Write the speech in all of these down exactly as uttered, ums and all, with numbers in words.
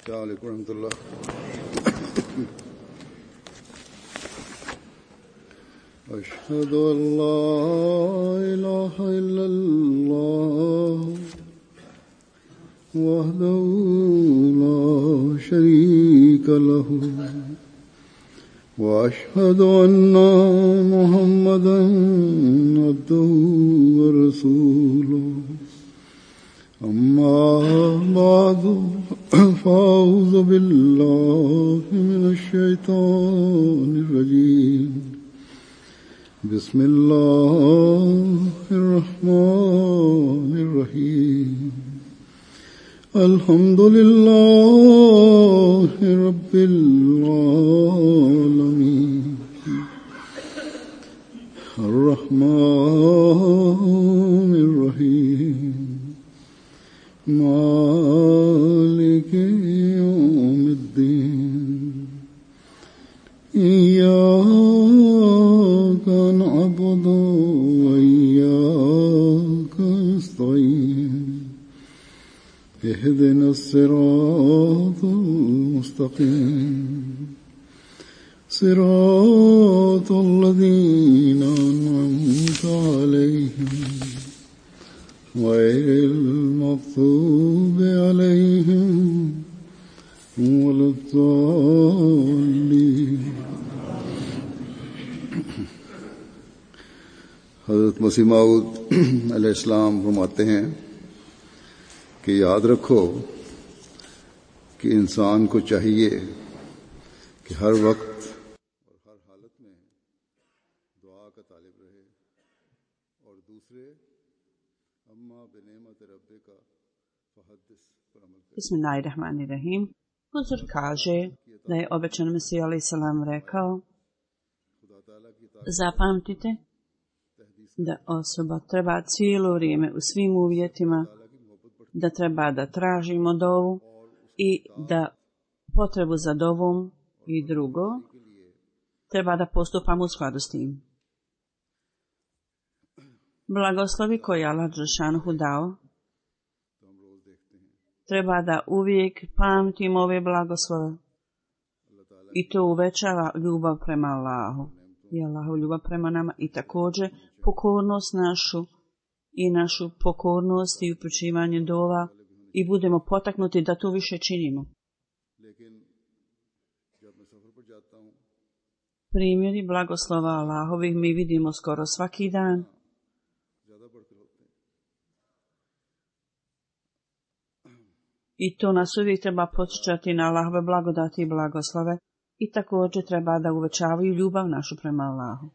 السلام عليكم ورحمة الله. أشهد أن لا إله إلا الله وحده لا شريك له وأشهد أن محمدا عبده ورسوله. أما بعد فأعوذ بالله من الشيطان الرجيم. بسم الله الرحمن الرحيم. الحمد لله رب العالمين الرحمن الرحيم مالك يوم الدين. إياك نعبد وإياك نستعين. اهدنا الصراط المستقيم صراط الذين أنعمت عليهم غير المغضوب عليهم ولا الضالين. हज़रत मसीह मऊद अलैहिस्सलाम फरमाते हैं कि याद रखो कि इंसान को चाहिए कि हर वक्त और हर हालत में दुआ का तालिब रहे और दूसरे अम्मा बिनेमत रब्बिका फहद्दिस पर अमल करे. Bismillahirrahmanirrahim. Huzur kaže da je obećan Mesija alejhi selam rekao: zapamtite da osoba treba cijelo vrijeme u svim uvjetima, da treba da tražimo dovu i da potrebu za dovom i drugo treba da postupamo u skladu s tim. Blagoslovi koje Allah dželešanohu dao, treba da uvijek pamtimo ove blagoslove i to uvećava ljubav prema Allahu i Allahu ljubav prema nama i također pokornost našu i našu pokornost i upućivanje dova i budemo potaknuti da to više činimo. Primjeri blagoslova Allahovih mi vidimo skoro svaki dan. I to nas uvijek treba podsjećati na Allahove blagodati i blagoslove i također treba da uvećavaju ljubav našu prema Allahu.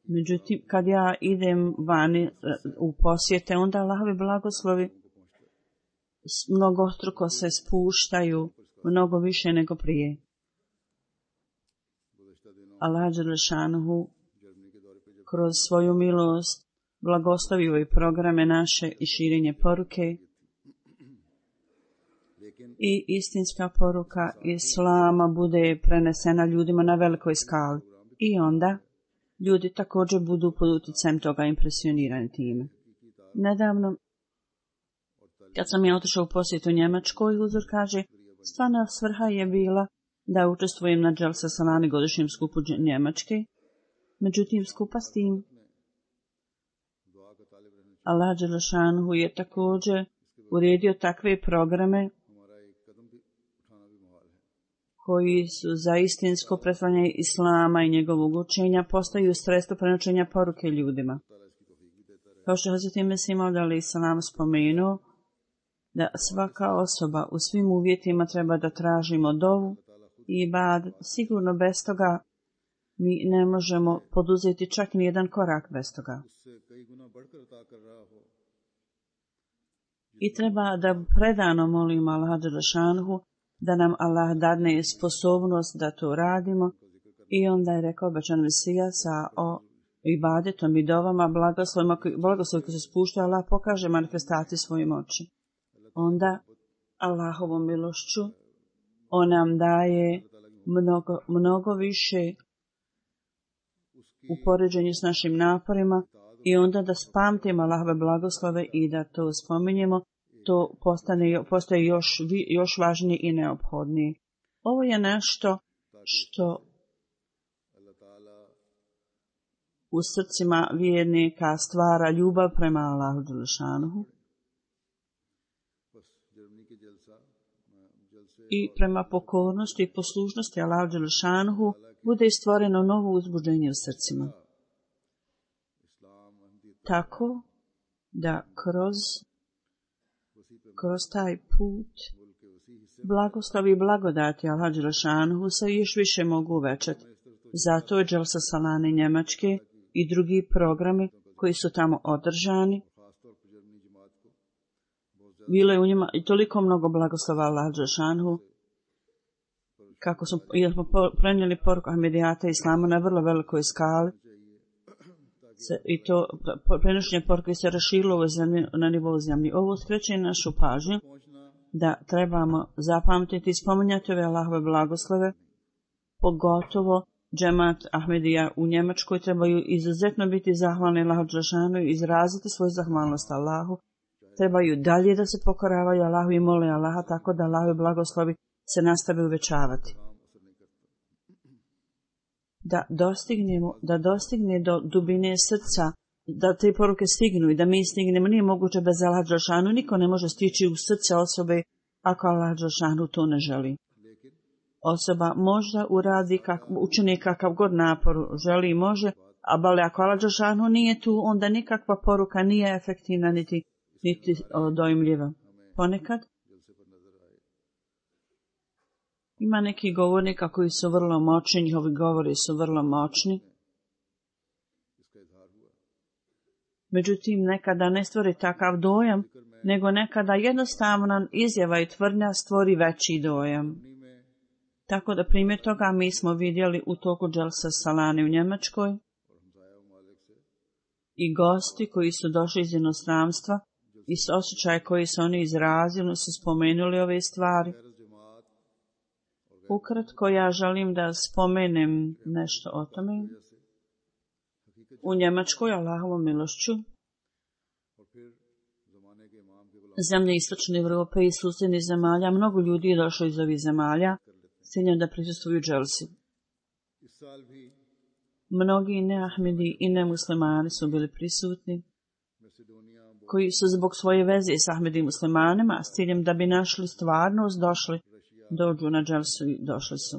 Međutim, kad ja idem vani u posjete, onda Allahove blagoslovi mnogostruko se spuštaju, mnogo više nego prije. Allah dželešanohu kroz svoju milost blagoslovi ove programe naše i širenje poruke i istinska poruka Islama bude prenesena ljudima na velikoj skali i onda ljudi također budu pod utjecajem toga impresionirani time. Nedavno, kad sam ja otišao u posjetu Njemačkoj, Huzur kaže, stvarna svrha je bila da učestvujem na Dželsa Salani godišnjem skupu Njemačke. Međutim, skupa s tim, Allah dželešanohu je također uredio takve programe koji su za istinsko predstavljanje Islama i njegovog učenja postaju sredstvo prenošenja poruke ljudima. Kao što Hazreti Mesih Maud alejhi selam spomenuo da svaka osoba u svim uvjetima treba da tražimo dovu i ibad, sigurno bez toga mi ne možemo poduzeti čak ni jedan korak bez toga. I treba da predano molimo Allaha dželešanohu da nam Allah dadne sposobnost da to radimo i onda je rekao obećan Mesija sa o ibadetom i dovama, blagoslovima, blagoslovi koji se spuštaju, Allah pokaže manifestaciju svojim oči. Onda Allahovom milošću on nam daje mnogo, mnogo više u poređenju s našim naporima i onda da spamtimo Allahove blagoslove i da to spominjemo to postane, postaje još, još važnije i neophodnije. Ovo je nešto što u srcima vjernika stvara ljubav prema Allahu dželešanuhu i prema pokornosti i poslušnosti Allahu dželešanuhu bude stvoreno novo uzbuđenje u srcima. Tako da kroz, kroz taj put blagoslovi i blagodati Allahu dželešanuhu se još više mogu uvećati. Zato je Dželsa Salane Njemačke i drugi programi koji su tamo održani, bilo je u njima i toliko mnogo blagoslova Allahu dželešanuhu, kako smo, jer smo prenijeli poruku Ahmedijata Islamu na vrlo velikoj skali, se, i to prenošenje poruke se raširilo na nivou zemlji. Ovo skreće našu pažnju da trebamo zapamtiti i spominjati ove Allahove blagoslove, pogotovo džemat Ahmedija u Njemačkoj trebaju izuzetno biti zahvalni Allahu dželešanuhu i izraziti svoju zahvalnost Allahu. Trebaju dalje da se pokoravaju Allahu i mole Allaha tako da Allahove blagoslovi se nastave uvećavati. Da dostignemo, da dostigne do dubine srca, da te poruke stignu i da mi stignemo, nije moguće bez Allaha dželešanuhu. Niko ne može stići u srce osobe ako Allah dželešanuhu to ne želi. Osoba možda uradi, kak, učini kakav god napor želi i može, a bale ako Allah dželešanuhu nije tu, onda nikakva poruka nije efektivna niti, niti dojmljiva. Ponekad ima neki govornika koji su vrlo moćni, njihovi govori su vrlo moćni. Međutim, nekada ne stvori takav dojam, nego nekada jednostavna izjava i tvrdnja stvori veći dojam. Tako da primjer toga mi smo vidjeli u toku Dželsa Salane u Njemačkoj i gosti koji su došli iz inostranstva i s osjećaje koji su oni izrazili su spomenuli ove stvari. Ukratko ja želim da spomenem nešto o tome. U Njemačkoj, Allahovom milošću, zemlje istočne Evrope i susjednih zemalja, mnogo ljudi je došlo iz ovih zemalja s ciljem da prisustvuju dželsi. Mnogi neahmedi i nemuslimani su bili prisutni, koji su zbog svoje veze s Ahmedi i muslimanima s ciljem da bi našli stvarnost došli, dođu na dželsu i došli su.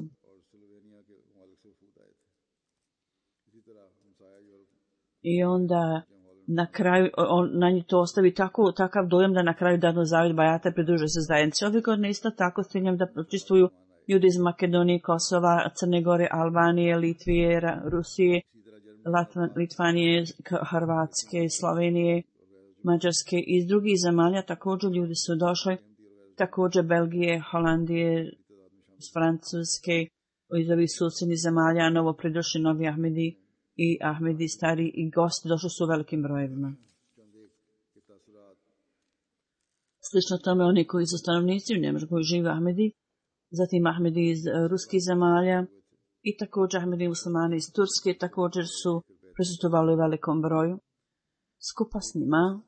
I onda na kraju, on, na njih to ostavi tako, takav dojam da na kraju dadnu zavid bajata pridruže se zajednici. Ove godine isto tako s ciljem da pročistuju ljudi iz Makedonije, Kosova, Crne Gore, Albanije, Litvije, Rusije, Latva, Litvanije, Hrvatske, Slovenije, Mađarske i iz drugih zemalja također ljudi su došli, također Belgije, Holandije, Francuske, iz ovih susjednih zemalja, novo pridošli novi Ahmedi i Ahmedi stari i gosti došli su u velikim brojevima. Slično tome oni koji su stanovnici u Njemačkoj koji žive Ahmedi, zatim Ahmedi iz ruskih zemalja i također Ahmedi muslimani iz Turske također su prisustvovali u velikom broju. Skupa s njima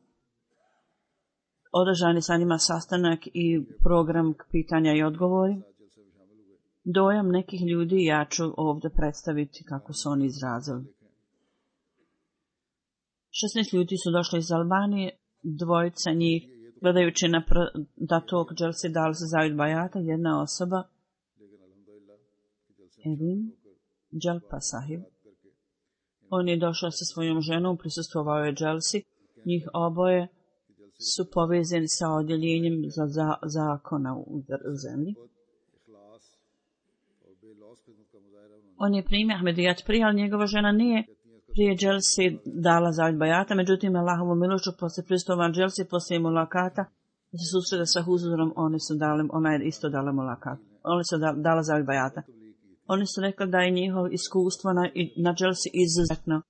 održani sa njima sastanak i program pitanja i odgovori. Dojam nekih ljudi ja ću ovdje predstaviti kako su oni izrazili. šesnaest ljudi su došli iz Albanije, dvojica njih, gledajući na pr- da tog dželsi dali se zavid bajata, jedna osoba, Evin Dželpa Sahib. On je došao sa svojom ženom, prisustvovao je dželsi, njih oboje su povezani sa odjeljenjem za, za zakona u, u zemlji. On je primio Ahmedijat prije, ali njegova žena nije prije dželsi dala zavid bajata, međutim Allahovu milošću posle prisustvovanja dželsi, poslije mulakata, da se susreda sa huzurom, oni su dali, ona je isto dala mulakat. Oni su da, dala zavid bajata. Oni su rekli da je njihov iskustvo na, na dželsi izuzetno.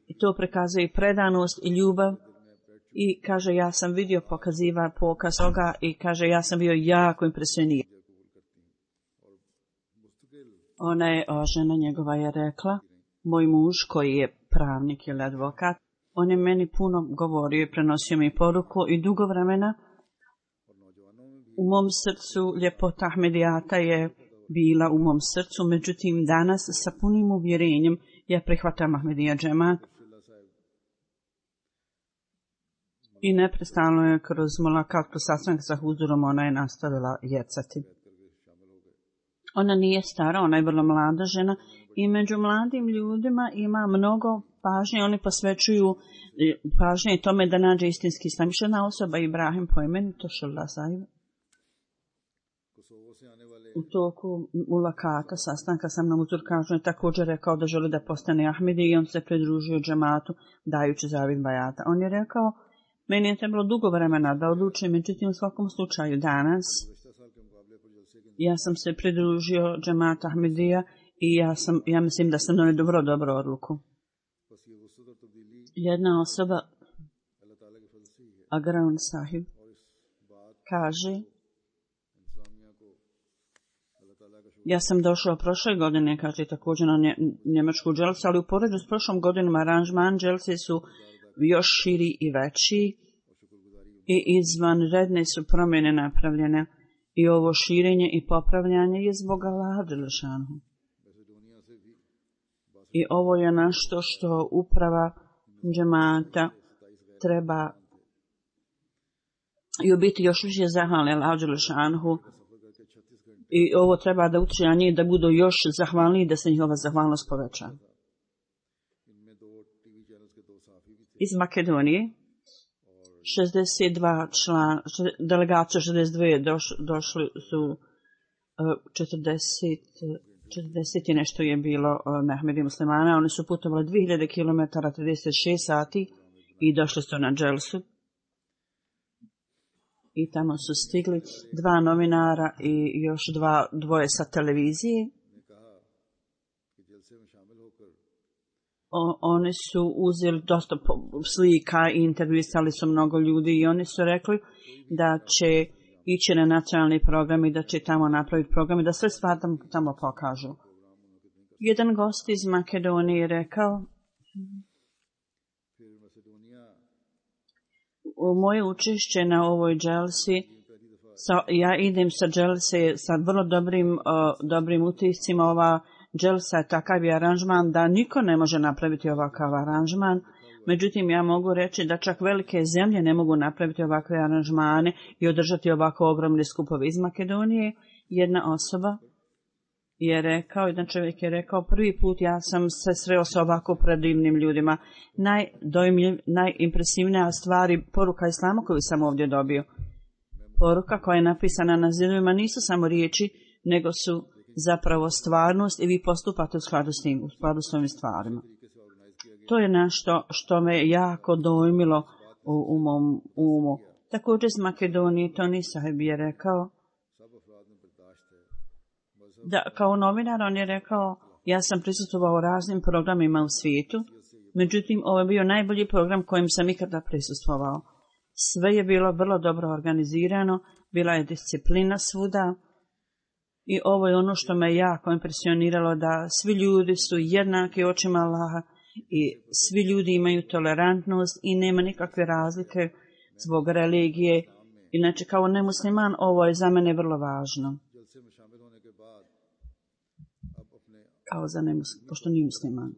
I to prikazuje i predanost i ljubav. I kaže, ja sam vidio pokaziva pokaz toga i kaže, ja sam bio jako impresioniran. Ona je, o, žena njegova je rekla, moj muž koji je pravnik ili advokat, on je meni puno govorio i prenosio mi poruku i dugo vremena U mom srcu ljepota Ahmedijata je bila u mom srcu, međutim danas sa punim uvjerenjem ja prihvatam Ahmedija džemat i neprestano je kroz molakat, kroz sastanak sa huzurom ona je nastavila jecati. Ona nije stara, ona je vrlo mlada žena i među mladim ljudima ima mnogo pažnje, oni posvećuju pažnje i tome da nađe istinski islam. Još jedna osoba, Ibrahim po imenu Tošullah Sahib, u toku mulakata, sastanka sa mnom uzor kažu je također rekao da želi da postane Ahmedi i on se pridružio džematu dajući zavid bajata. On je rekao, meni je trebalo dugo vremena da odlučim, međutim u svakom slučaju danas ja sam se pridružio džemata Ahmedija i ja, sam, ja mislim da sam donio dobro, dobro odluku. Jedna osoba, Agraun Sahib, kaže, ja sam došao prošle godine, kaže također na nje, njemačku dželsu, ali u poređu s prošlom godinom aranžman dželse su još širi i veći i izvanredne su promjene napravljene. I ovo širenje i popravljanje je zbog Allaha dželešanu. I ovo je nešto što uprava džemata treba i u biti još više zahvalni Allahu dželešanu. I ovo treba da utječe na njih da budu još zahvalni i da se njihova zahvalnost poveća. Iz Makedonije šezdeset dva član, delegacija šezdeset dva doš, došli su četrdeset, četrdeset i nešto je bilo Mehmedi muslimana. Oni su putovali dvije hiljade kilometara, trideset šest sati i došli su na dželsu. I tamo su stigli dva novinara i još dva, dvoje sa televizije. O, oni su uzeli dosta slika i intervjuisali su mnogo ljudi i oni su rekli da će ići na nacionalni program i da će tamo napraviti program i da sve stvari tamo, tamo pokažu. Jedan gost iz Makedonije je rekao, u moje učešće na ovoj dželsi, sa, ja idem sa dželse sa vrlo dobrim, uh, dobrim utiscima. Ova dželsa je takav je aranžman da niko ne može napraviti ovakav aranžman. Međutim, ja mogu reći da čak velike zemlje ne mogu napraviti ovakve aranžmane i održati ovako ogromne skupove. Iz Makedonije jedna osoba je rekao, jedan čovjek je rekao, prvi put ja sam se sreo sa ovako predivnim ljudima. Najdojmljiv, najimpresivnija stvari, poruka islama koju sam ovdje dobio. Poruka koja je napisana na zidovima nisu samo riječi, nego su zapravo stvarnost i vi postupate u skladu s tim, u skladu s ovim stvarima. To je nešto što me jako dojmilo u, u mom umu. Također iz Makedonije Toni Sahib je rekao, da kao novinar on je rekao, ja sam prisustvovao raznim programima u svijetu, međutim ovo je bio najbolji program kojim sam ikada prisustvovao. Sve je bilo vrlo dobro organizirano, bila je disciplina svuda i ovo je ono što me jako impresioniralo, da svi ljudi su jednaki očima Allaha i svi ljudi imaju tolerantnost i nema nikakve razlike zbog religije. Inače kao nemusliman ovo je za mene vrlo važno. Kao za nemusliman, pošto nije musliman.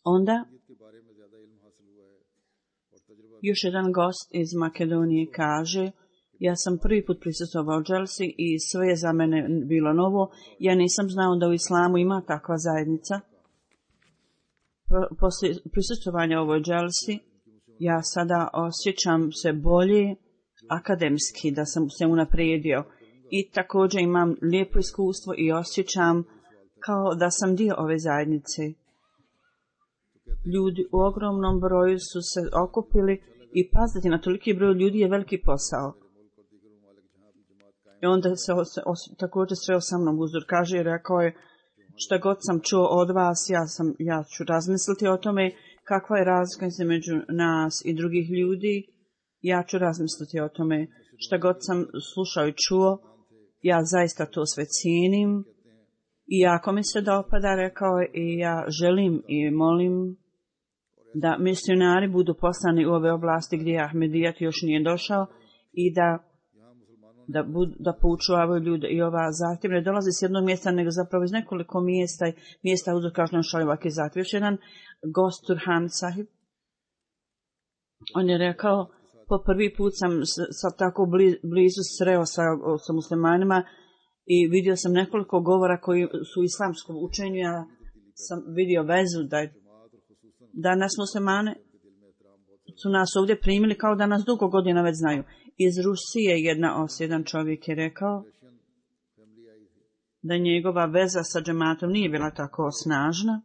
Onda još jedan gost iz Makedonije kaže, ja sam prvi put prisustvovao dželsi i sve je za mene bilo novo. Ja nisam znao da u islamu ima takva zajednica. Poslije prisustvovanja ovoj dželsi, ja sada osjećam se bolje akademski, da sam se unaprijedio. I također imam lijepo iskustvo i osjećam kao da sam dio ove zajednice. Ljudi u ogromnom broju su se okupili i paziti na toliki broj ljudi je veliki posao. I onda se os, os, također sreo sa mnom uzor. Kaže i rekao je, šta god sam čuo od vas, ja, sam, ja ću razmisliti o tome kakva je razlika između nas i drugih ljudi. Ja ću razmisliti o tome šta god sam slušao i čuo. Ja zaista to sve cijenim. I jako mi se dopada, rekao je, i ja želim i molim da misionari budu poslani u ove oblasti gdje Ahmedijat još nije došao i da da, bud, da poučavaju ljude. I ova zahtjev ne dolazi s jednog mjesta, nego zapravo iz nekoliko mjesta i mjesta uzor kao što nam šalju ovakve zahtjev. Još jedan gost Turhan Sahib, on je rekao, po prvi put sam sa tako blizu sreo sa, sa muslimanima i vidio sam nekoliko govora koji su u islamskom učenju. Ja sam vidio vezu da je danas muslimane su nas ovdje primili kao da nas dugo godina već znaju. Iz Rusije jedna os, jedan čovjek je rekao da njegova veza sa džematom nije bila tako snažna.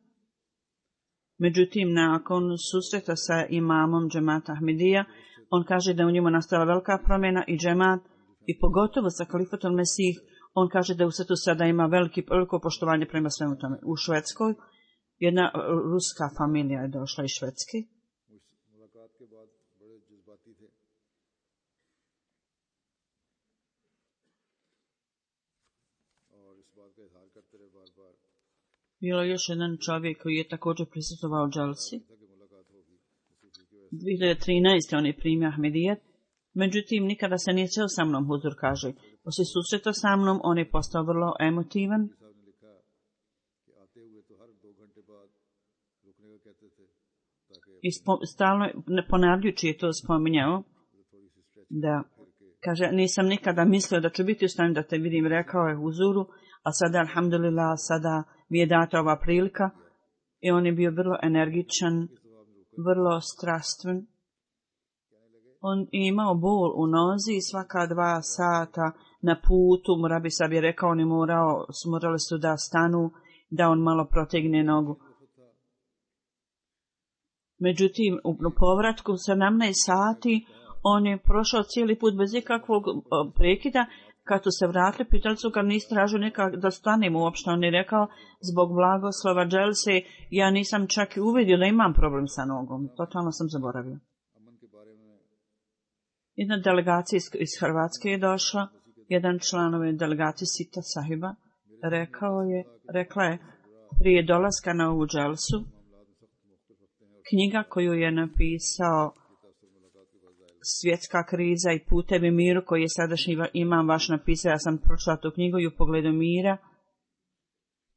Međutim, nakon susreta sa imamom džemata Ahmedija, on kaže da je u njemu nastala velika promjena i džemat, i pogotovo sa kalifatom Mesih, on kaže da u svetu sada ima veliki, veliko poštovanje prema svemu tome. U Švedskoj jedna ruska familija je došla iz Švedske. Bilo je još jedan čovjek koji je također prisustvovao dželsi. dvije hiljade trinaeste. on je primio Ahmedijet, međutim nikada se nije sreo sa mnom, huzur kaže. Poslije susreta sa mnom on je postao vrlo emotivan. I spo, stalno, ponavljujući je to spominjao, da, kaže, nisam nikada mislio da ću biti u stanju da te vidim, rekao je huzuru, a sada, alhamdulillah, sada mi je data ova prilika. I on je bio vrlo energičan, vrlo strastven. On je imao bol u nozi i svaka dva sata na putu, Murabi Sab je rekao, oni morao, morali su da stanu, da on malo protegne nogu. Međutim, u povratku sedamnaest sati, on je prošao cijeli put bez ikakvog prekida. Kad su se vratili, pitali su ga, nisi tražio nekak da stanem uopšte. On je rekao, zbog blagoslova dželse, ja nisam čak i uvidio da imam problem sa nogom. Totalno sam zaboravio. Jedna delegacija iz, iz Hrvatske je došla, jedan član ove delegacije Sita Sahiba, rekao je, rekla je, prije dolaska na ovu dželsu, knjiga koju je napisao Svjetska kriza i putevi miru, koji je sadašnji imam vaš napisao, ja sam pročitala tu knjigu i u pogledu mira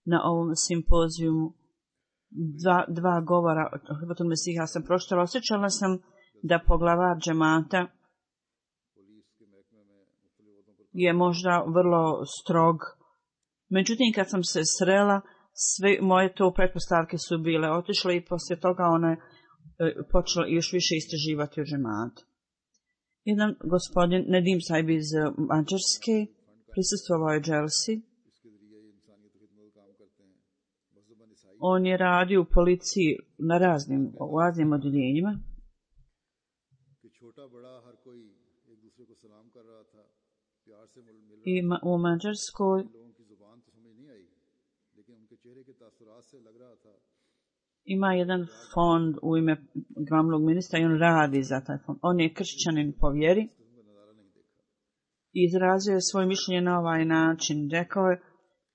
na ovom simpozijumu dva, dva govora od Mesiha sam pročitala. Osjećala sam da poglavar džemata je možda vrlo strog. Međutim, kad sam se srela, sve moje to pretpostavke su bile otišle i poslije toga ona je počela još više istraživati o džematu. Jedan gospodin Nedim Saib iz Mađarske prisustvovao je dželsi. On je radio u policiji na raznim, u raznim odjeljenjima. I ma, u Mađarskoj ima jedan fond u ime glavnog ministra i on radi za taj fond. On je kršćanin po vjeri i izrazio je svoje mišljenje na ovaj način. Rekao je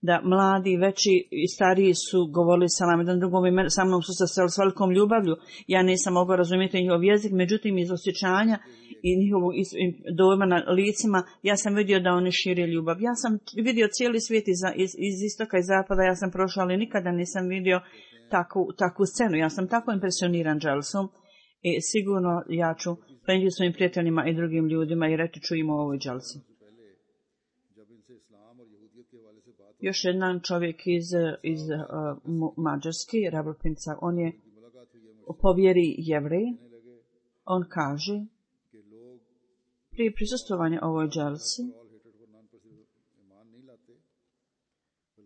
da mladi, veći i stariji su govorili salam jedan drugom i sa mnom su se sreli s velikom ljubavlju. Ja nisam mogao razumjeti njihov jezik, međutim iz osjećanja i njihovog dojma na licima ja sam vidio da oni šire ljubav. Ja sam vidio cijeli svijet iz, iz, iz istoka i zapada, ja sam prošao, ali nikada nisam vidio takvu, takvu scenu. Ja sam tako impresioniran dželsom i sigurno ja ću prenijeti svojim prijateljima i drugim ljudima i reći ću im o ovoj dželsi. Još jedan čovjek iz, iz uh, Mađarske, Rabel Pinca, on je po vjeri Jevrej. On kaže, prije prisustvovanja ovoj dželsi,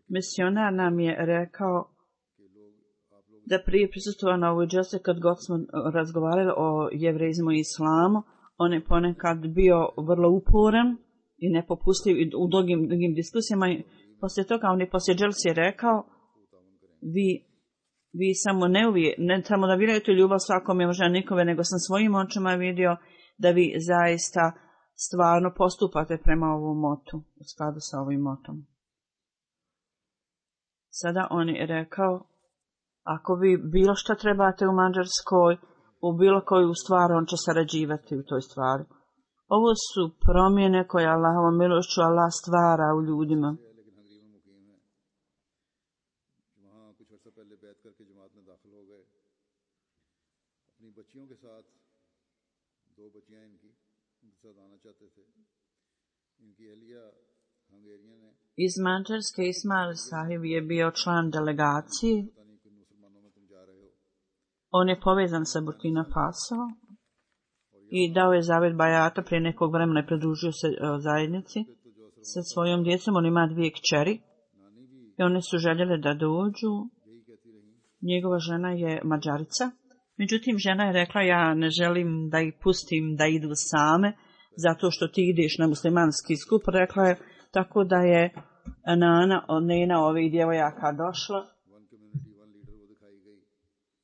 misionar nam je rekao da prije prisustvovanja ovoj dželsi, kad god smo razgovarali o jevreizmu i islamu, on je ponekad bio vrlo uporan i nepopustljiv u drugim, drugim diskusijama. Poslije toga on je poslije dželsi rekao, vi, vi samo ne uvije, ne samo da vjerujete ljubav svakome, možda nikome, nego sam svojim očima vidio da vi zaista stvarno postupate prema ovom motu, u skladu sa ovim motom. Sada on je rekao, ako vi bilo što trebate u Mađarskoj, u bilo koju stvar, on će sarađivati u toj stvari. Ovo su promjene koje Allahovom milošću Allah stvara u ljudima. Iz Mađarske Ismail Sahib je bio član delegacije. On je povezan sa Burkina Faso i dao je zavjet bajata prije nekog vremena i pridružio se o, zajednici sa svojom djecom. On ima dvije kćeri i one su željele da dođu. Njegova žena je Mađarica. Međutim, žena je rekla, ja ne želim da ih pustim da idu same, zato što ti ideš na muslimanski skup. Rekla je, tako da je Nana, nena ovih djevojaka došla.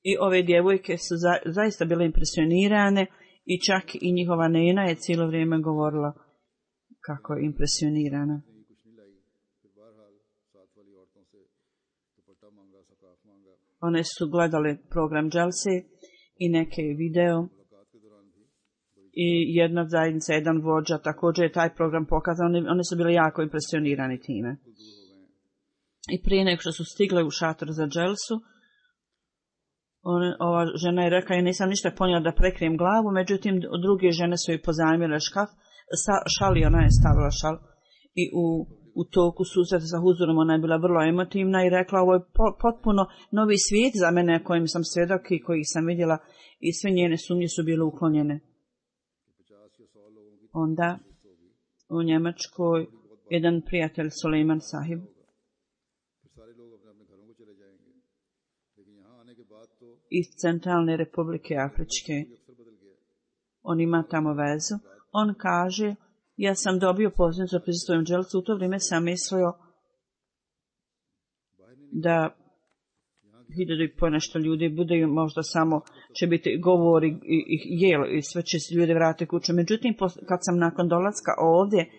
I ove djevojke su za, zaista bile impresionirane i čak i njihova nena je cijelo vrijeme govorila kako je impresionirana. One su gledale program Dželse i neke video i jedna zajednica, jedan vođa također je taj program pokazao. One su bile jako impresionirani time. I prije nego što su stigle u šator za Dželsu, On, ova žena je rekla, ja nisam ništa ponijela da prekrijem glavu, međutim druge žene su joj pozajmile škaf, sa, šal i ona je stavila šal. I u, u toku susreta sa huzurom ona je bila vrlo emotivna i rekla, ovo je po, potpuno novi svijet za mene kojim sam svjedok i kojih sam vidjela i sve njene sumnje su bile uklonjene. Onda u Njemačkoj jedan prijatelj Suleiman Sahib iz Centralne Republike Afričke. On ima tamo vezu. On kaže, ja sam dobio pozivnicu za prisustvujem Dželsu. U to vrijeme sam mislio da hiljadu i po nešto ljudi bude možda samo će biti govori i, i jelo i sve će se ljudi vratiti kuće. Međutim, kad sam nakon dolaska ovdje,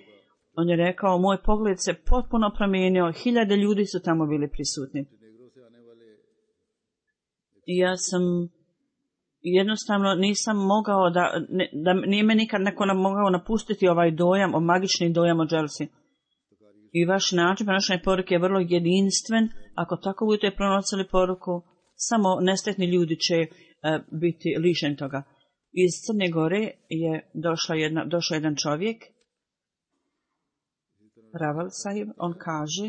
on je rekao, moj pogled se potpuno promijenio. Hiljade ljudi su tamo bili prisutni. I ja sam jednostavno nisam mogao da, ne, da nije me nikad neko mogao napustiti ovaj dojam, o magični dojam o Dželsi. I vaš način prenošenja poruke je vrlo jedinstven. Ako tako budete pronosili poruku, samo nesretni ljudi će uh, biti lišeni toga. Iz Crne Gore je došla jedna, došao jedan čovjek, Raval Sahib, on kaže,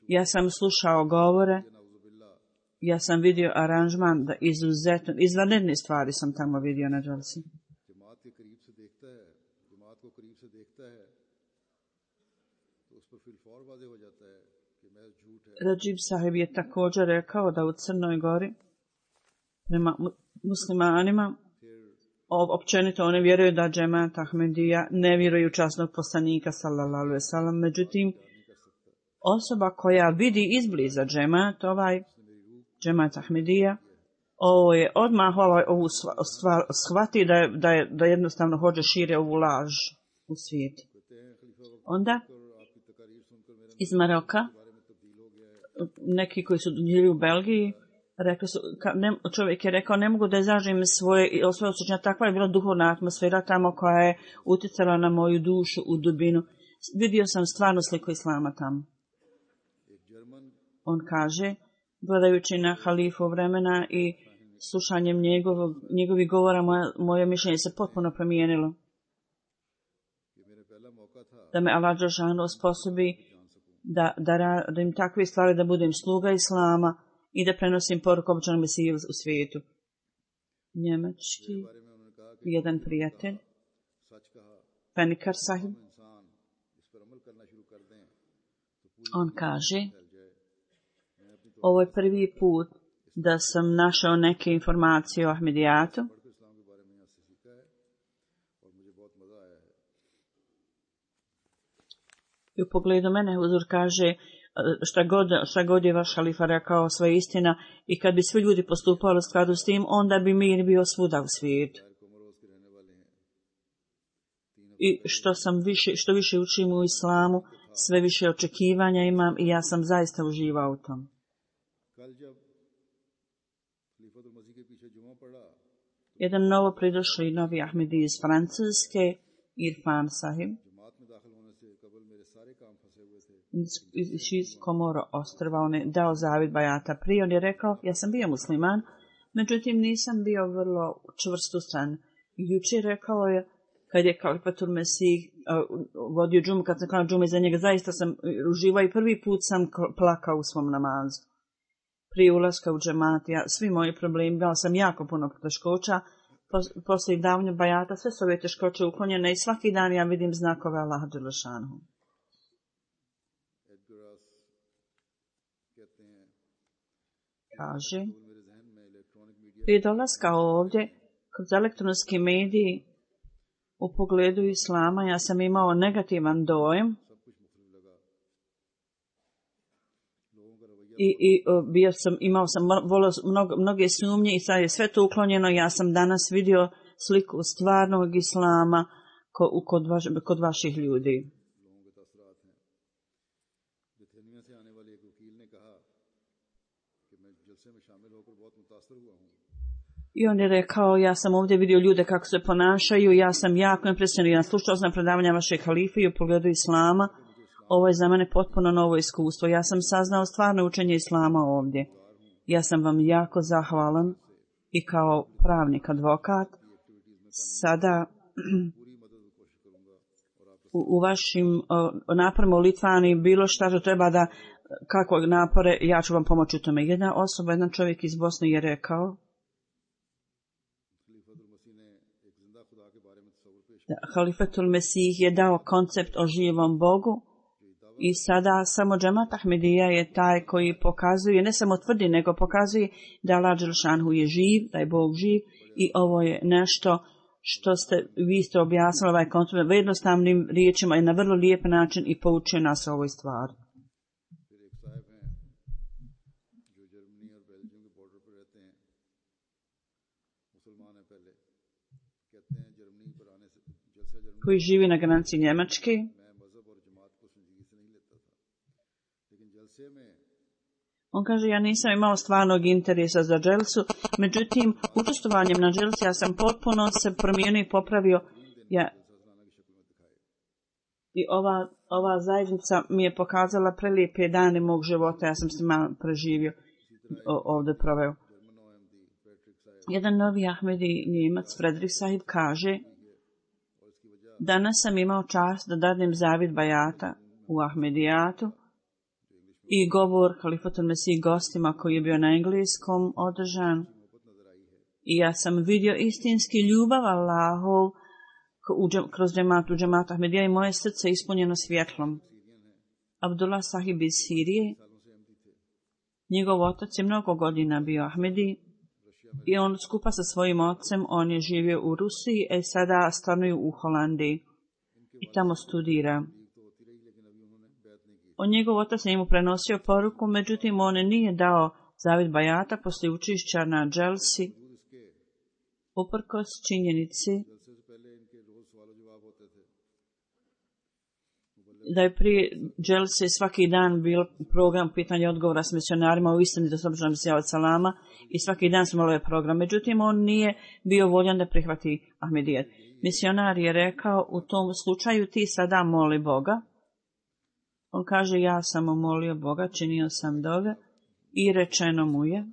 ja sam slušao govore, ja sam vidio aranžman, da izuzetno, izvanredne stvari sam tamo vidio na Dželsi. Radžib Sahib je također rekao da u Crnoj Gori prema muslimanima općenito oni vjeruju da džemat Ahmedija ne vjeruju časnog poslanika sallallahu alejhi ve sellem. Međutim, osoba koja vidi izbliza džemat, ovaj džemat Ahmedija, ovo je odmah ovaj, ovu stvar shvati da je, da je da jednostavno hoće šire ovu laž u svijetu. Onda iz Maroka neki koji su bili u Belgiji rekli su, ka, ne, čovjek je rekao, ne mogu da izražim svoje svoje osjećanje. Takva je bila duhovna atmosfera tamo koja je utjecala na moju dušu u dubinu. Vidio sam stvarno sliku islama tamo. On kaže, gledajući na halifu vremena i slušanjem njegovog, njegovih govora, moje, moje mišljenje se potpuno promijenilo. Da me Allah dželešanu osposobi da, da radim takve stvari, da budem sluga islama i da prenosim poruku običanog Mesije u svijetu. Njemački, jedan prijatelj, Penikar Sahib, on kaže, ovo je prvi put da sam našao neke informacije o Ahmedijatu. I u pogledu mene huzur kaže, šta god, šta god je vaš halifa rekao, sva istina, i kad bi svi ljudi postupali u skladu s tim, onda bi mir bio svuda u svijetu. I što sam više, što više učim u islamu, sve više očekivanja imam i ja sam zaista uživao u tom. Jedan novo pridošli novi Ahmedi iz Francuske, Irfan Sahib, iz, iz Komoro ostrva, on je dao zavid bajata prije, on je rekao, ja sam bio musliman, međutim nisam bio vrlo čvrst u stranu. Jučer rekao je, kad je Khalifatul Mesih uh, vodio džumu, kad sam klanjao džumu iza njega, zaista sam uživao i prvi put sam plakao u svom namazu. Prije ulaska u džemat, ja, svi moji problemi, imao sam jako puno poteškoća, pos, poslije davanja bajata, sve su ove teškoće uklonjene i svaki dan ja vidim znakove Allaha dželešanu. Kaže, prije dolaska ovdje, kroz elektronski mediji, u pogledu islama, ja sam imao negativan dojem i, i bio sam, imao sam mnogo, mnoge sumnje i sad je sve to uklonjeno. Ja sam danas vidio sliku stvarnog islama kod, vaš, kod vaših ljudi. I on je rekao, ja sam ovdje vidio ljude kako se ponašaju, ja sam jako impresioniran. Slušao sam predavanja vašeg halife i u pogledu islama. Ovo je za mene potpuno novo iskustvo. Ja sam saznao stvarno učenje islama ovdje. Ja sam vam jako zahvalan i kao pravnik, advokat, sada u, u vašim naporima u Litvani bilo šta što treba da, kakvog napore, ja ću vam pomoći u tome. Jedna osoba, jedan čovjek iz Bosne je rekao, Khalifatul Mesih je dao koncept o živom Bogu i sada samo džemat Ahmedija je taj koji pokazuje, ne samo tvrdi, nego pokazuje da Allah dželešanu je živ, da je Bog živ i ovo je nešto što ste, vi ste objasnili ovaj koncept jednostavnim riječima i na vrlo lijep način i poučio nas o ovoj stvari. Koji živi na granici Njemačke. On kaže, ja nisam imao stvarnog interesa za dželsu, međutim, učestvovanjem na dželsi ja sam potpuno se promijenio i popravio. Ja, I ova, ova zajednica mi je pokazala prelijepe dane mog života, ja sam s njima preživio, ovdje proveo. Jedan novi Ahmedi Njemac, Fredrik Sahib, kaže, danas sam imao čast da dadnem zavid bajata u Ahmedijatu i govor Khalifatul Mesih gostima koji je bio na engleskom održan. I ja sam vidio istinski ljubav Allahov kroz džematu, džematu Ahmedija i moje srce ispunjeno svjetlom. Abdullah Sahib iz Sirije, njegov otac je mnogo godina bio Ahmedi i on skupa sa svojim ocem, on je živio u Rusiji, a sada stanuje u Holandiji i tamo studira. On njegov otac je mu prenosio poruku, međutim on nije dao zavid bajata poslije učišća na dželsi, uprkos činjenici da je prije dželse svaki dan bio program pitanja i odgovora s misionarima u istini do sobžanom sjava salama i svaki dan smo imali ovaj program. Međutim, on nije bio voljan da prihvati Ahmedijet. Misionar je rekao, u tom slučaju ti sada moli Boga. On kaže, ja sam molio Boga, činio sam dove i rečeno mu je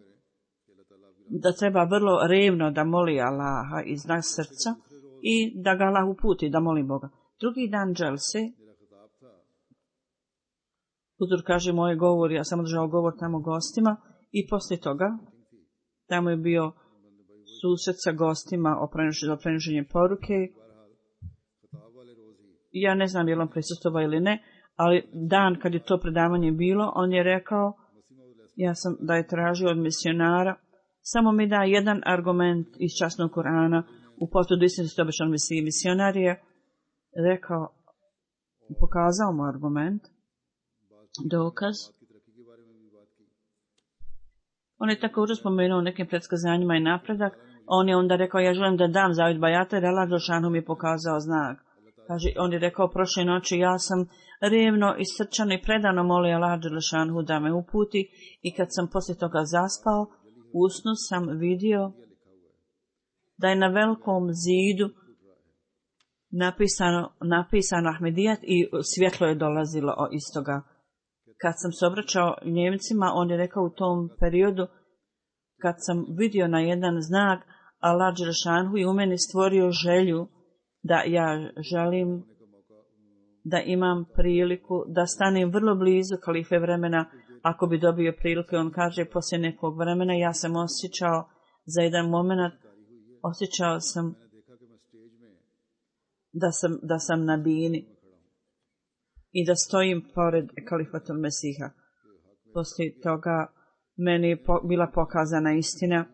da treba vrlo revno da moli Allaha iz srca i da ga Allah uputi da moli Boga. Drugi dan dželse, Huzur kaže moj govor, ja sam održao govor tamo gostima i poslije toga tamo je bio susret sa gostima o prenošenju, prenošenje poruke. Ja ne znam je li on prisustvovao ili ne, ali dan kad je to predavanje bilo, on je rekao, ja sam da je tražio od misionara, samo mi da jedan argument iz časnog Kur'ana u potvrdu istinitosti obećanog Mesije. Misionar je rekao, pokazao mu argument, dokaz. On je također spomenuo nekim predskazanjima i napredak. On je onda rekao, ja želim da dam zavid bajata, jer Allah dželešanu mi je pokazao znak. Kaže, on je rekao, prošle noći ja sam revno i srčano i predano molio Allah dželešanu da me uputi i kad sam poslije toga zaspao, u snu sam vidio da je na velikom zidu napisano, napisano Ahmedijat i svjetlo je dolazilo iz toga. Kad sam se obraćao Njemcima, on je rekao u tom periodu, kad sam vidio na jedan znak, Allah dželešanhu i u meni stvorio želju da ja želim da imam priliku da stanem vrlo blizu kalife vremena, ako bi dobio priliku. On kaže, poslije nekog vremena ja sam osjećao za jedan moment, osjećao sam da sam, da sam na bini i da stojim pored kalifatul Mesiha. Poslije toga meni je po, bila pokazana istina.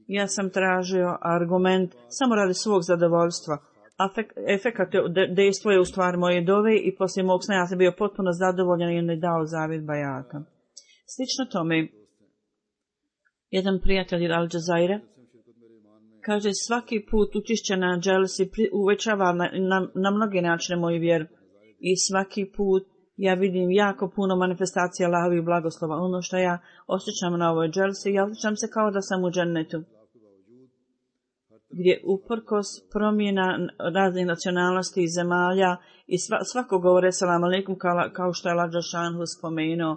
Ja sam tražio argument samo radi svog zadovoljstva. Afek, efekat dejstvo je u stvari moje dove i poslije mog sna ja sam bio potpuno zadovoljan i on je dao zavjet bajata. Slično tome, jedan prijatelj Al Jazaire kaže, svaki put učešće na dželsi uvećava na, na, na mnoge načine moju vjeru i svaki put ja vidim jako puno manifestacija Allahovih blagoslova. Ono što ja osjećam na ovoj dželsi, ja osjećam se kao da sam u džennetu, gdje uprkos promjena raznih nacionalnosti i zemalja i sva, svako govore salam alejkum kao, kao što je Allah dželešanhu spomenuo,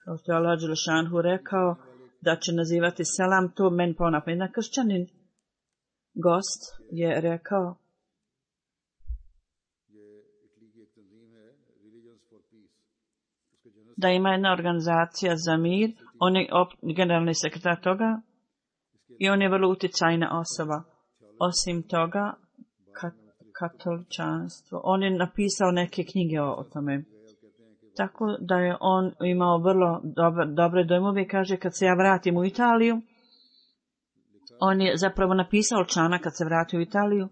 kao što je Allah dželešanhu rekao da će nazivati selam, to men ponapad. Jedan kršćanin gost je rekao da ima jedna organizacija za mir, on je generalni sekretar toga i on je vrlo utjecajna osoba. Osim toga, kat, katoličanstvo, on je napisao neke knjige o, o tome. Tako da je on imao vrlo dobre, dobre dojmove. Kaže, kad se ja vratim u Italiju, on je zapravo napisao članak kad se vratio u Italiju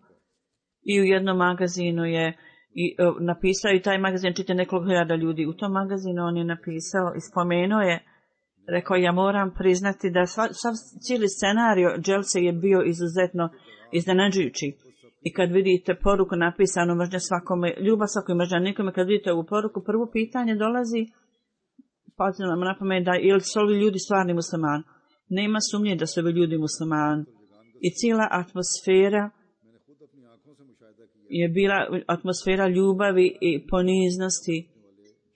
i u jednom magazinu je i, uh, napisao i taj magazin čita nekoliko hiljada ljudi. U tom magazinu on je napisao i spomenuo je, rekao, ja moram priznati da sva, sav cijeli scenario dželse je bio izuzetno iznenađujući. I kad vidite poruku napisanu mržnja svakome, ljubav svakoj mržnja nikome, kad vidite ovu poruku, prvo pitanje dolazi, pa nam na pamet da ili su ovi ljudi stvarni muslimani. Nema sumnje da su ovi ljudi muslimani. I cijela atmosfera je bila atmosfera ljubavi i poniznosti.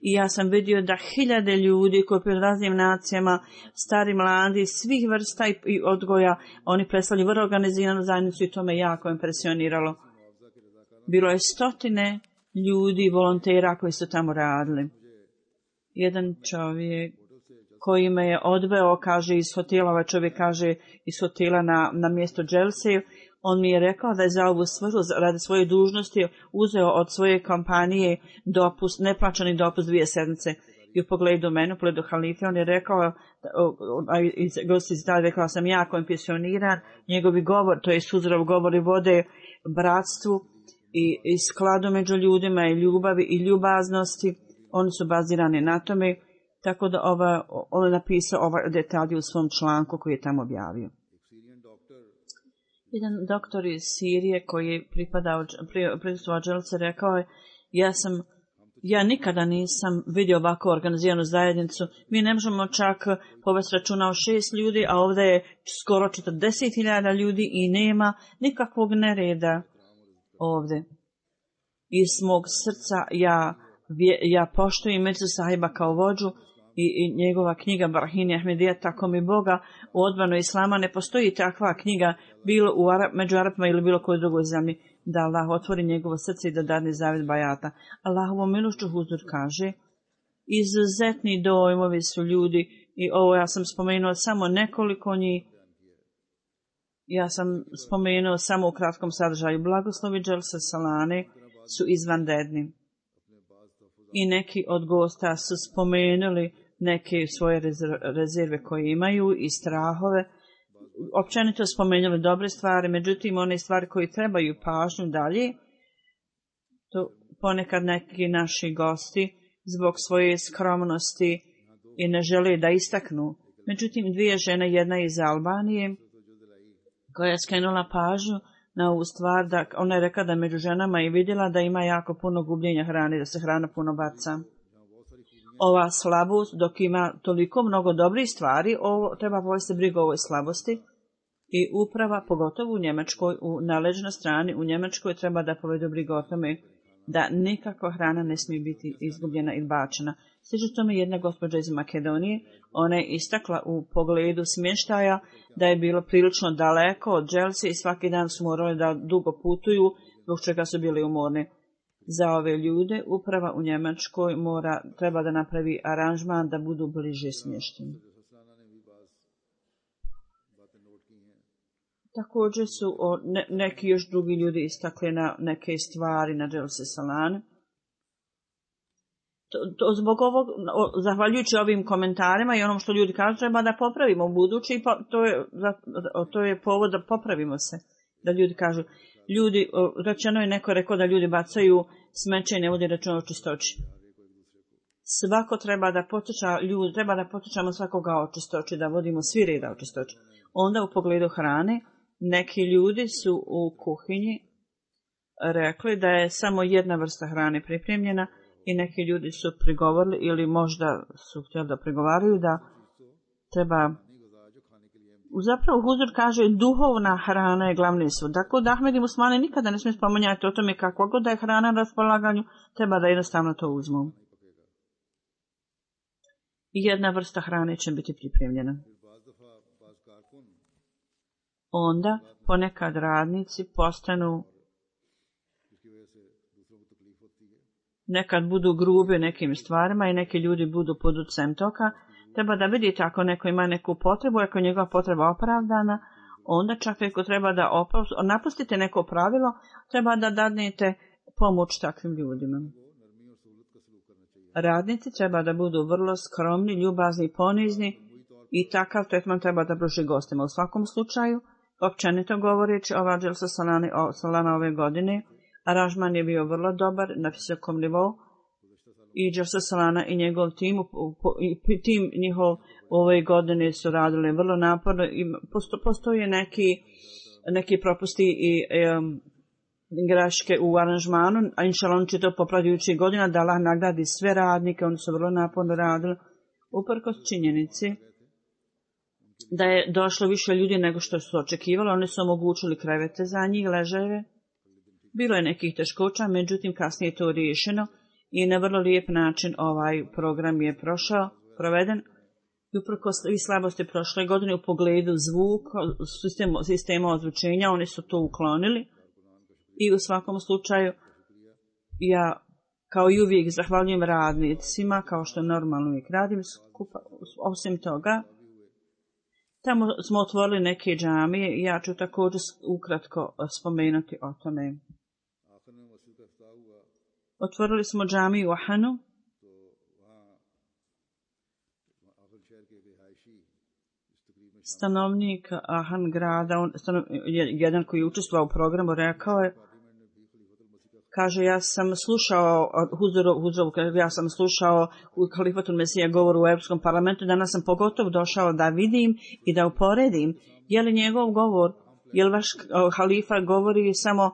I ja sam vidio da hiljade ljudi koji pri raznim nacijama, stari, mladi, svih vrsta i, i odgoja, oni predstavljaju vrlo organiziranu zajednicu i to me jako impresioniralo. Bilo je stotine ljudi, volontera koji su tamo radili. Jedan čovjek koji me je odveo, kaže, iz hotela, ovaj čovjek kaže, iz hotela na, na mjesto dželse, on mi je rekao da je za ovu svrhu, radi svoje dužnosti, uzeo od svoje kompanije dopust, neplaćani dopust dvije sedmice. I u pogledu mene, u pogledu halife, on je rekao, a iz gosti iz Italije rekao, sam jako impresioniran, njegovi govor, to je suzrov govori vode bratstvu i, i skladu među ljudima i ljubavi i ljubaznosti, oni su bazirani na tome, tako da ova, on je napisao ovaj detalj u svom članku koji je tamo objavio. Jedan doktor iz Sirije koji je pripadao, prisustvovao dželse rekao je, ja sam, ja nikada nisam vidio ovako organiziranu zajednicu. Mi ne možemo čak povesti računa o šest ljudi, a ovdje je skoro četrdeset hiljada ljudi i nema nikakvog nereda ovdje. Iz mog srca ja, ja poštujem Mirzu Sahiba kao vođu i, i njegova knjiga Barahini Ahmedija, tako mi Boga, u odbranu islama ne postoji takva knjiga bilo u Arab, među Arapima ili bilo kojoj drugoj zemlji, da Allah otvori njegovo srce i da dadne zavjet bajata. Allahovom milošću huzur kaže, izuzetni dojmovi su ljudi i ovo ja sam spomenuo samo nekoliko njih. Ja sam spomenuo samo u kratkom sadržaju. Blagoslovi dželse salane su izvanredni. I neki od gosta su spomenuli neke svoje rezerve koje imaju i strahove. Općenito spomenuli dobre stvari, međutim one stvari koje trebaju pažnju dalje, to ponekad neki naši gosti zbog svoje skromnosti i ne žele da istaknu. Međutim, dvije žene, jedna iz Albanije, koja je skrenula pažnju na ovu stvar, da ona je rekla da među ženama je vidjela da ima jako puno gubljenja hrane, da se hrana puno baca. ova slabost, dok ima toliko mnogo dobrih stvari, ovo, treba povesti brigu o ovoj slabosti. I uprava, pogotovo u Njemačkoj, u naležnoj strani, u Njemačkoj treba da povedu brigu o tome da nikakva hrana ne smije biti izgubljena ili bačena. Sliče tome jedna gospođa iz Makedonije, ona je istakla u pogledu smještaja da je bilo prilično daleko od Dželse i svaki dan su morali da dugo putuju, zbog čega su bili umorni. Za ove ljude uprava u Njemačkoj mora, treba da napravi aranžman da budu bliže smješteni. Također su o, ne, neki još drugi ljudi istakli na neke stvari na Dželse Salane. To, to zbog ovog, o, zahvaljujući ovim komentarima i onom što ljudi kažu, treba da popravimo u budući i po, to, je, to je povod da popravimo se. Da ljudi kažu, ljudi, o, rečeno je neko rekao da ljudi bacaju smeće i ne vodi računa o čistoći. Svako treba da potiča, ljudi, treba da potičamo svakoga o čistoći, da vodimo svi reda o čistoći. Onda u pogledu hrane, neki ljudi su u kuhinji rekli da je samo jedna vrsta hrane pripremljena i neki ljudi su prigovorili ili možda su htjeli da prigovaraju da treba, zapravo Huzur kaže duhovna hrana je glavni sud. Tako da Ahmed i Musmani nikada ne smije spominjati o tome kako god da je hrana na raspolaganju, treba da jednostavno to uzmu. I jedna vrsta hrane će biti pripremljena. Onda ponekad radnici postanu, nekad budu grubi nekim stvarima i neki ljudi budu pod utjecajem toga. Treba da vidite ako neko ima neku potrebu, ako je njegova potreba opravdana, onda čak ako treba da oprav... napustite neko pravilo, treba da dadnete pomoć takvim ljudima. Radnici treba da budu vrlo skromni, ljubazni i ponizni i takav tretman treba da pruži gostima. U svakom slučaju, općenito govoreći, ova Dželsa Salana ove godine, aranžman je bio vrlo dobar na visokom nivou i Dželsa Salana i njegov tim, i tim njihov ove godine su radili vrlo naporno i posto, postoje neki, neki propusti i um, greške u aranžmanu, a inšallah on će to popravljajući godina da Allah nagradi sve radnike, oni su vrlo naporno radili, uprkos činjenici da je došlo više ljudi nego što su očekivali, oni su omogućili krevete za njih, ležajeve. Bilo je nekih teškoća, međutim kasnije je to riješeno i na vrlo lijep način ovaj program je prošao, proveden. I uprkos i slabosti prošle godine u pogledu zvuka, sistema, sistema ozvučenja, oni su to uklonili. I u svakom slučaju, ja kao i uvijek zahvaljujem radnicima, kao što normalno uvijek radim, skupa, osim toga, tamo smo otvorili neke džamije i ja ću također ukratko spomenuti o tome. Otvorili smo džamiju u Ahanu. Stanovnik Ahan grada, on, stanov, jedan koji je učestvovao u programu, rekao je, kaže, ja sam slušao Huzurov, Huzurov, ja sam slušao u Halifatul Mesija govor u Europskom parlamentu, danas sam pogotovo došao da vidim i da uporedim, je li njegov govor, je li vaš halifa govori samo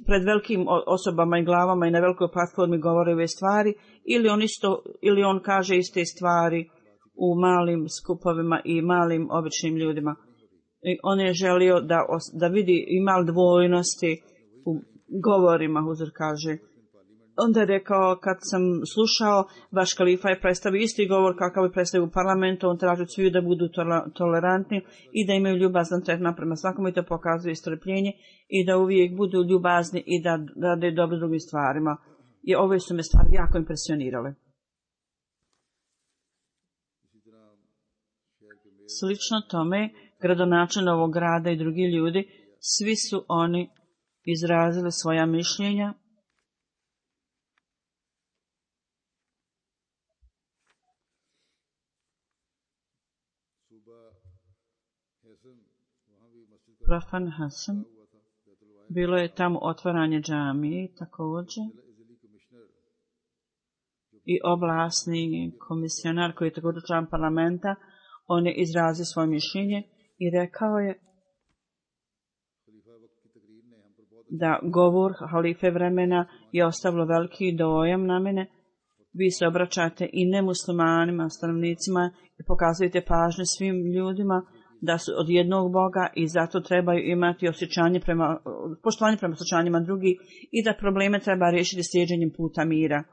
pred velikim osobama i glavama i na velikoj platformi govori ove stvari, ili on, isto, ili on kaže iste stvari u malim skupovima i malim običnim ljudima. I on je želio da, da vidi ima li dvojnosti u govorima, Huzur kaže. Onda je rekao, kad sam slušao, vaš kalifa je predstavio isti govor kakav je predstavio u parlamentu, on traži svi da budu tolerantni i da imaju ljubazan tretman prema svakom i to pokazuje strpljenje i da uvijek budu ljubazni i da rade dobro drugim stvarima. I ove su me stvari jako impresionirale. Slično tome, gradonačelnik ovog grada i drugi ljudi, svi su oni izrazili svoja mišljenja. Profan Hasan, bilo je tamo otvaranje džamije također. I oblasni komisionar koji je također član parlamenta, on je izrazio svoje mišljenje i rekao je da govor halife vremena je ostavilo veliki dojam na mene, vi se obraćate i nemuslimanima, stanovnicima i pokazujete pažnju svim ljudima da su od jednog Boga i zato trebaju imati osjećanje prema, poštovanje prema osjećanjima drugih i da probleme treba riješiti slijeđenjem puta mira.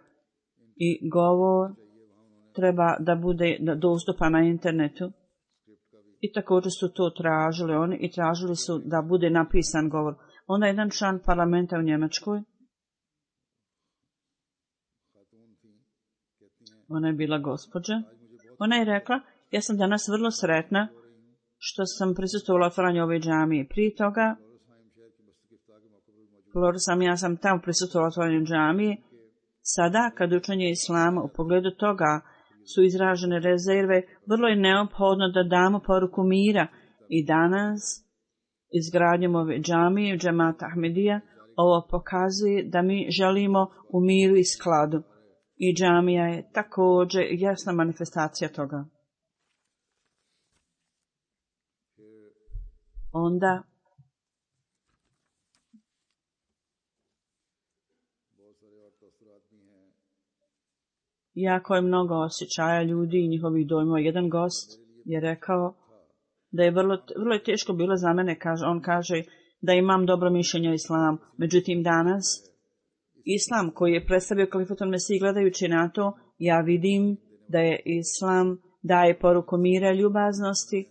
I govor treba da bude dostupan na internetu. I također su to tražili oni i tražili su da bude napisan govor. Onda jedan član parlamenta u Njemačkoj, ona je bila gospođa, ona je rekla, ja sam danas vrlo sretna što sam prisustvovala otvaranju ove džamije. Prije toga, sam, ja sam tamo prisustvovala otvaranju džamije. Sada, kad učenje islama u pogledu toga su izražene rezerve, vrlo je neophodno da damo poruku mira. I danas, izgradnjom ove džamije, džemata Ahmedija, ovo pokazuje da mi želimo u miru i skladu. I džamija je također jasna manifestacija toga. Onda jako je mnogo osjećaja ljudi i njihovih dojmova. Jedan gost je rekao da je vrlo, vrlo je teško bilo za mene, kaže, on kaže da imam dobro mišljenje o islamu. Međutim, danas islam koji je predstavio kalifatul Mesih, gledajući na to, ja vidim da je islam daje poruku mira, ljubaznosti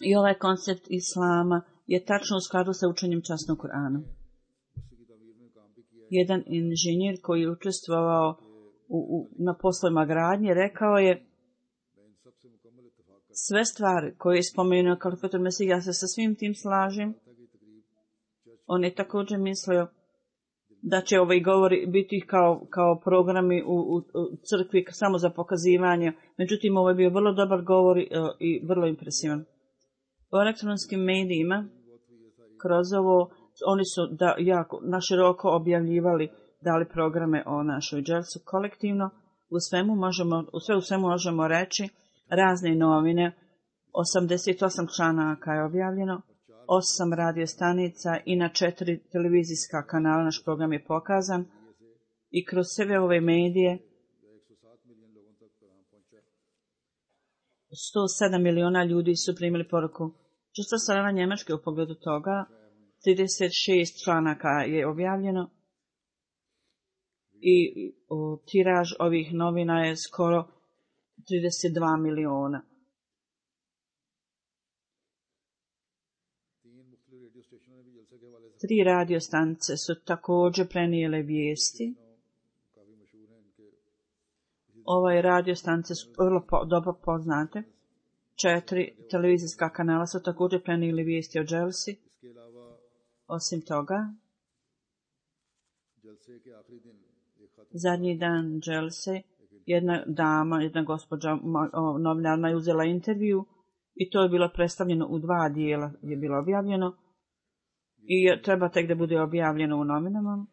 i ovaj koncept islama je tačno u skladu sa učenjem časnog Kur'ana. Jedan inženjer koji je učestvovao u, u, na poslovima gradnje rekao je sve stvari koje je spomenuo kalifatul Mesih, ja se sa svim tim slažem. On je također mislio da će ovaj govori biti kao, kao programi u, u, u crkvi samo za pokazivanje. Međutim, ovo je bio vrlo dobar govor i, i vrlo impresivan. U elektronskim medijima, kroz ovo, oni su da, jako naširoko objavljivali, dali programe o našoj dželsu kolektivno. U svemu možemo, u sve u svemu možemo reći razne novine, osamdeset osam članaka je objavljeno, osam radio stanica i na četiri televizijska kanala naš program je pokazan i kroz sve ove medije sto sedam miliona ljudi su primili poruku. Što se strana Njemačke u pogledu toga, trideset šest članaka je objavljeno i o, tiraž ovih novina je skoro trideset dva miliona. Tri radio stanice su također prenijele vijesti. Ove radio stanice su vrlo po, dobro poznate. Četiri televizijska kanala su također prenijeli vijesti o dželsi. Osim toga, zadnji dan dželse, jedna dama, jedna gospođa novinarna je uzela intervju i to je bilo predstavljeno u dva dijela, je bilo objavljeno. I treba tek da bude objavljeno u novinama.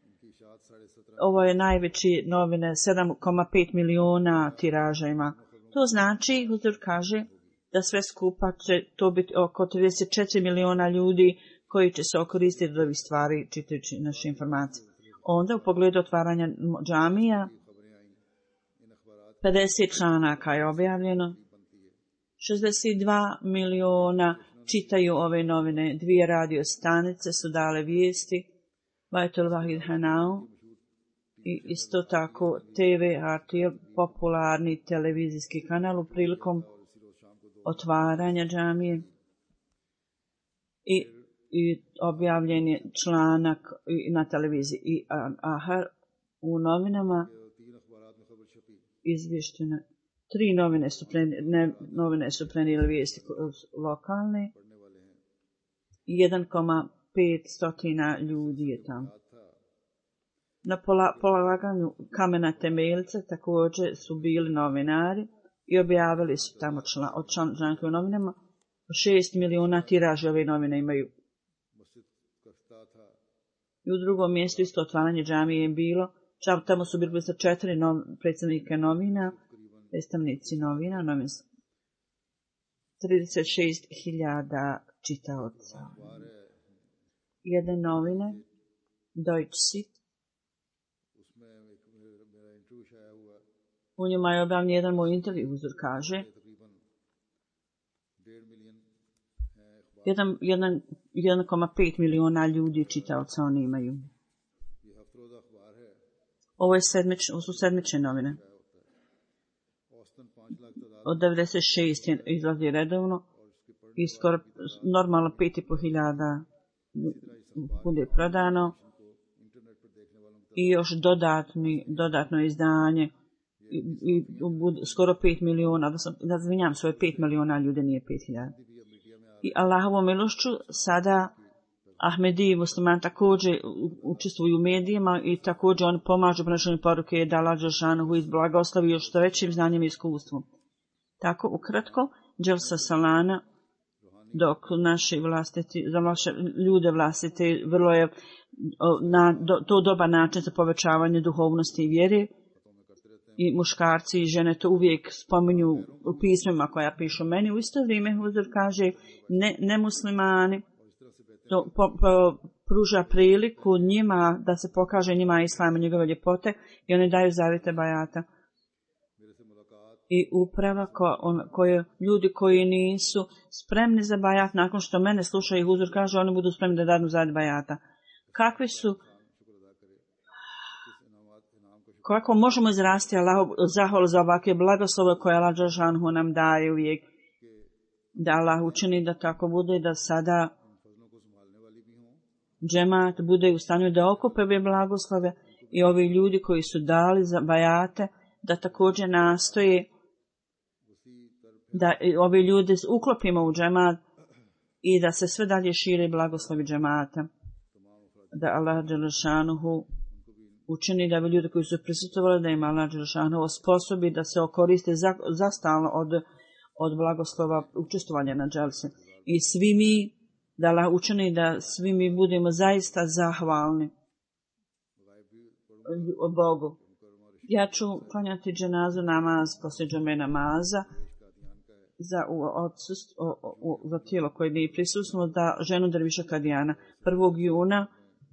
Ovo je najveći novine, sedam zarez pet miliona tiraža ima. To znači, Huzur kaže, da sve skupa će to biti oko trideset četiri miliona ljudi koji će se okoristiti od ovih stvari čitajući naše informacije. Onda u pogledu otvaranja džamija, pedeset članaka je objavljeno, šezdeset dva miliona čitaju ove novine, dvije radio stanice su dale vijesti, Bajtul Wahid Hanau i isto tako T V R T L, popularni televizijski kanal u prilikom otvaranja džamije i, i objavljen je članak na televiziji i Ahar u novinama izvještene. Tri novine su, prenijeli, ne, novine su prenijeli vijesti lokalne i jedan zarez pet stotina ljudi je tamo. Na pola, polaganju kamena temeljca također su bili novinari i objavili su tamo član, od član, članke u novinama. Šest miliona tiraže ove novine imaju. I u drugom mjestu isto otvaranje džamije je bilo. Čak tamo su bili sa četiri nov, predstavnike novina, predstavnici novina, novin, trideset šest hiljada čitaoca. Jedne novine, Deutsche, U njima je objavljen jedan moj intervju, uzor kaže, jedan zarez pet miliona ljudi čitaoca oni imaju. Ovo, je sedmič, ovo su sedmične novine. Od devedeset šest izlazi redovno i skoro normalno pet i po hiljada bude prodano i još dodatni, dodatno izdanje i, i skoro pet miliona, da sam, da zvinjam svoje pet miliona ljudi, nije pet hiljada. I Allahovom milošću sada Ahmedi i muslimani također učestvuju u medijima i također oni pomažu prenošenju poruke da Allah dželešanohu iz blagoslovi još što većim znanjem i iskustvom. Tako ukratko, Dželsa Salana, dok naši vlastiti, za naše ljude vlastite, vrlo je na, do, to dobar način za povećavanje duhovnosti i vjere. I muškarci i žene to uvijek spominju u pismima koja pišu meni. U isto vrijeme Huzur kaže ne, ne muslimani, to po, po, pruža priliku njima da se pokaže njima islam i njegove ljepote i oni daju zavjete bajata. I uprava ko, on, koje, ljudi koji nisu spremni za bajat, nakon što mene slušaju i Huzur kaže, oni budu spremni da dadnu zavjet bajata. Kakvi su, kako možemo izrasti Allahu zahvalu za ovakve blagoslove koje Allah dželešanohu nam daje uvijek, da Allah učini da tako bude, da sada džemat bude u stanju da okupe ove blagoslove i ovi ljudi koji su dali za bajate, da također nastoje da ovi ljudi uklopimo u džemat i da se sve dalje šire blagoslovi džemata. Da Allah dželešanohu učini da bi ljudi koji su prisutovali da im Allah dželešanohu osposobi da se koriste za, za stalno od, od blagoslova učestvovanja na dželsi. I svi mi, da Allah učini da svi mi budemo zaista zahvalni o Bogu. Ja ću klanjati dženazu namaz poslije džume namaza za, odsust, o, o, za tijelo koje nije prisutno, da ženu derviša Kadijana. prvog juna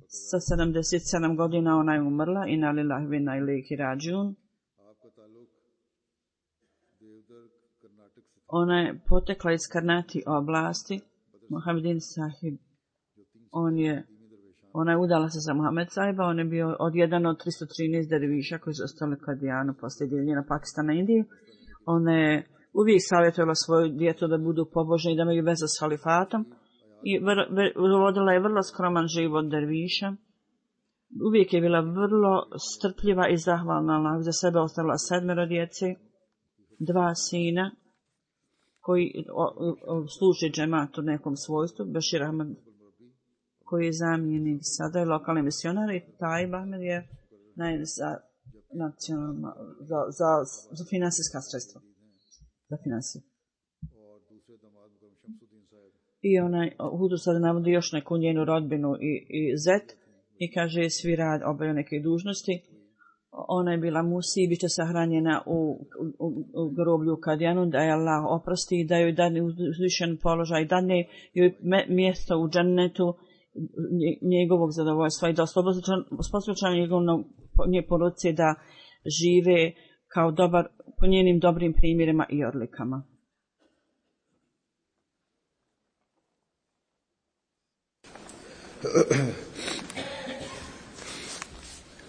sa sedamdeset sedam godina ona je umrla i nalillahi ve inna ilejhi rađiun. Ona je potekla iz Karnati oblasti. Mohamedin sahib, on je, ona je udala se za Mohamed sahiba, on je bio od jedan od tristo trinaest derviša koji su ostali Kadijanu poslije dijeljenja Pakistana i Indiju. Ona je uvijek savjetovala svoju djecu da budu pobožni i da imaju veze s halifatom i vodila je vrlo skroman život derviša. Uvijek je bila vrlo strpljiva i zahvalna Allah. Za sebe ostavila sedmero djece, dva sina koji o, o, služi džematu nekom svojstvu, Bešir Ahmed koji je zamijenik sada je lokalni misionar i Tajib Ahmed je naj, za, nacionalno, za, za, za finansijska sredstva. Za finansije. I onaj, Hudu sada navodi još neku njenu rodbinu i, i zet i kaže svi rad obavljaju neke dužnosti. Ona je bila musi i bit će sahranjena u, u, u groblju Kadijanu, da je Allah oprosti i da joj dadne uzvišen položaj, dadne joj mjesto u džennetu njegovog zadovoljstva i da osposobičan njegovnom nje poruci da žive kao dobar, po njenim dobrim primjerima i odlikama.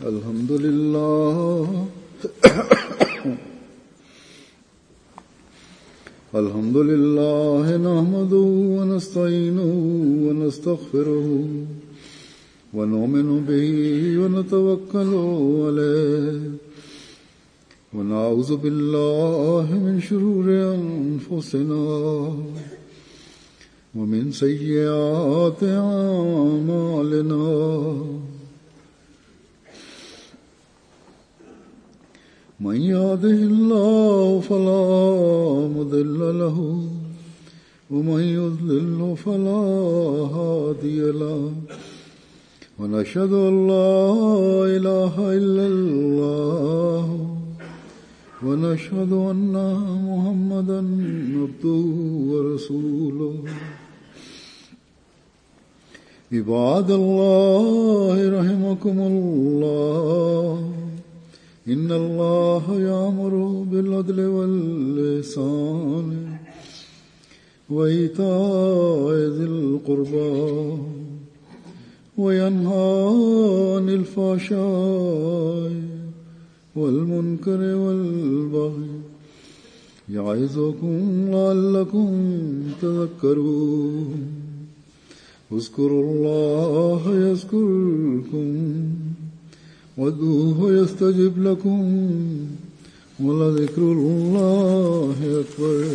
Alhamdulillah Alhamdulillah nahmaduhu wa nasta'inuhu wa nastaghfiruhu wa nu'minu bihi wa natawakkalu alayhi wa na'udhu billahi min shururi anfusina wa min sayyiati a'malina. من يهده الله فلا مضل له ومن يضلل فلا هادي له ونشهد أن لا إله إلا الله ونشهد أن محمدا عبده ورسوله. عباد الله رحمكم الله إن الله يأمر بالعدل والإحسان وإيتاء ذي القربى وينهى عن الفحشاء والمنكر والبغي يعظكم لعلكم تذكرون اذكروا الله يذكركم وادعوه يستجب لكم ولذكر الله أكبر